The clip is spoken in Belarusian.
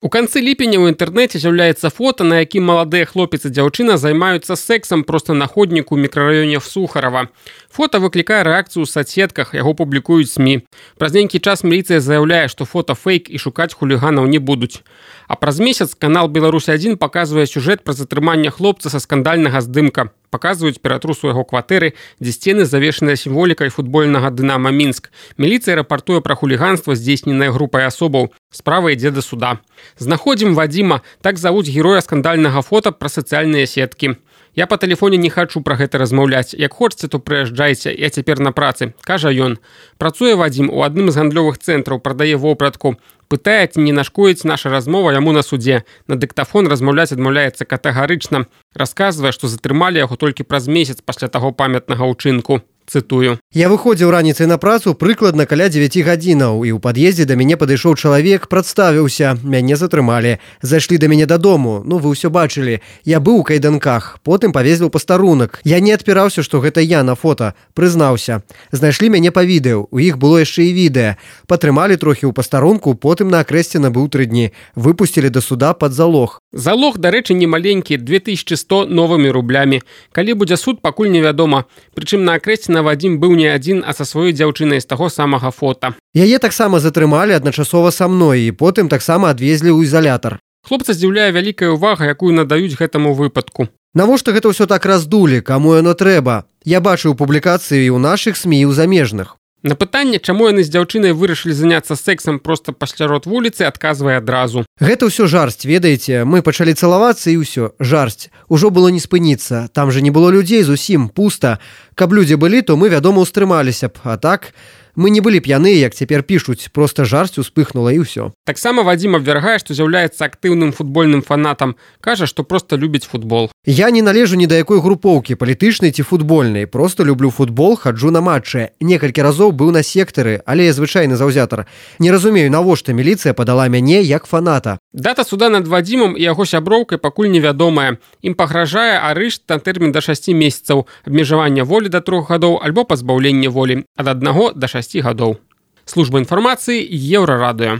У канцы ліпеня ў інтэрнэце з'яўляецца фота, на якім маладыя хлопец і дзяўчына займаюцца сексам проста на ходніку ў мікрараёне Сухарова. Фота выклікае рэакцыю ў соцсетках, яго публікуюць СМІ. Праз нейкі час міліцыя заяўляе, што фота фейк і шукаць хуліганаў не будуць. А праз месяц канал «Беларусь-1» паказвае сюжэт пра затрыманне хлопца са скандальнага здымка. Паказваюць ператрусу яго кватэры, дзе сцены завешаныя сімволікай футбольнага «Дынама Мінск». Міліцыя рапартуе пра хуліганства, здзейсненае групай асобаў. Справа ідзе да суда. Знаходзім Вадзіма, так завуць героя скандальнага фота пра сацыяльныя сеткі. Я па тэлефоне не хачу пра гэта размаўляць. Як хочаце, то прыязджайце, я цяпер на працы, кажа ён. Працуе Вадзім у адным з гандлёвых цэнтраў, прадае вопратку. Пытае, ці не нашкодзіць наша размова яму на судзе. На дыктафон размаўляць адмаўляецца катэгарычна. Расказвае, што затрымалі яго толькі праз месяц пасля таго памятнага ўчынку. Цытую. Я выходзіў раніцай на працу прыкладна каля 9 гадзінаў, і ў пад'ездзе да мяне падышоў чалавек, прадставіўся, мяне затрымалі. Зайшлі да мяне дадому, вы ўсё бачылі. Я быў у кайданках, потым павезлі ў пастарунак. Я не адпіраўся, што гэта я на фота, прызнаўся. Знайшлі мяне па відэо, у іх было яшчэ і відэа. Патрымалі трохі ў пастарунку, потым на акрэсце набыў 3 дні. Выпусцілі да суда пад залог. Залог, дарэчы, не маленькі, 2100 новымі рублямі. Калі будзе суд, пакуль невядома. Прычым на акрэсце Вадзім быў не адзін, а са сваёй дзяўчынай з таго самага фота. Яе таксама затрымалі адначасова са мной і потым таксама адвезлі ў изолятар. Хлопца здзіўляе вялікая ўвага, якую надаюць гэтаму выпадку. Навошта гэта ўсё так раздулі, каму яно трэба? Я бачыў публікацыі і ў нашых СМІ, і ў замежных. На пытанне, чаму яны з дзяўчынай вырашылі заняцца сексам проста пасярод вуліцы, адказвае адразу. Гэта ўсё жарсць, ведаеце, мы пачалі цалавацца і ўсё, жарсць. Ужо было не спыніцца, там жа не было людзей зусім, пуста. Каб людзі былі, то мы, вядома, устрымаліся б, а так... Мы не былі п'яныя, як цяпер пішуць, проста жарсць успыхнула і ўсё. Таксама Вадзім абвяргае, што з'яўляецца актыўным футбольным фанатам. Кажа, што проста любіць футбол. Я не належу ні да якой групоўкі, палітычнай ці футбольнай. Проста люблю футбол, хаджу на матчы. Некалькі разоў быў на сектары, але я звычайны заўзятар. Не разумею, навошта міліцыя падала мяне як фаната. Дата суда над Вадзімам і яго сяброўкай пакуль невядомая. Ім пагражае арышт на тэрмін да 6 месяцаў, абмежавання волі да 3 гадоў альбо пазбаўлення волі ад 1 да 6 гадоў. Служба інфармацыі Еўрарадыё.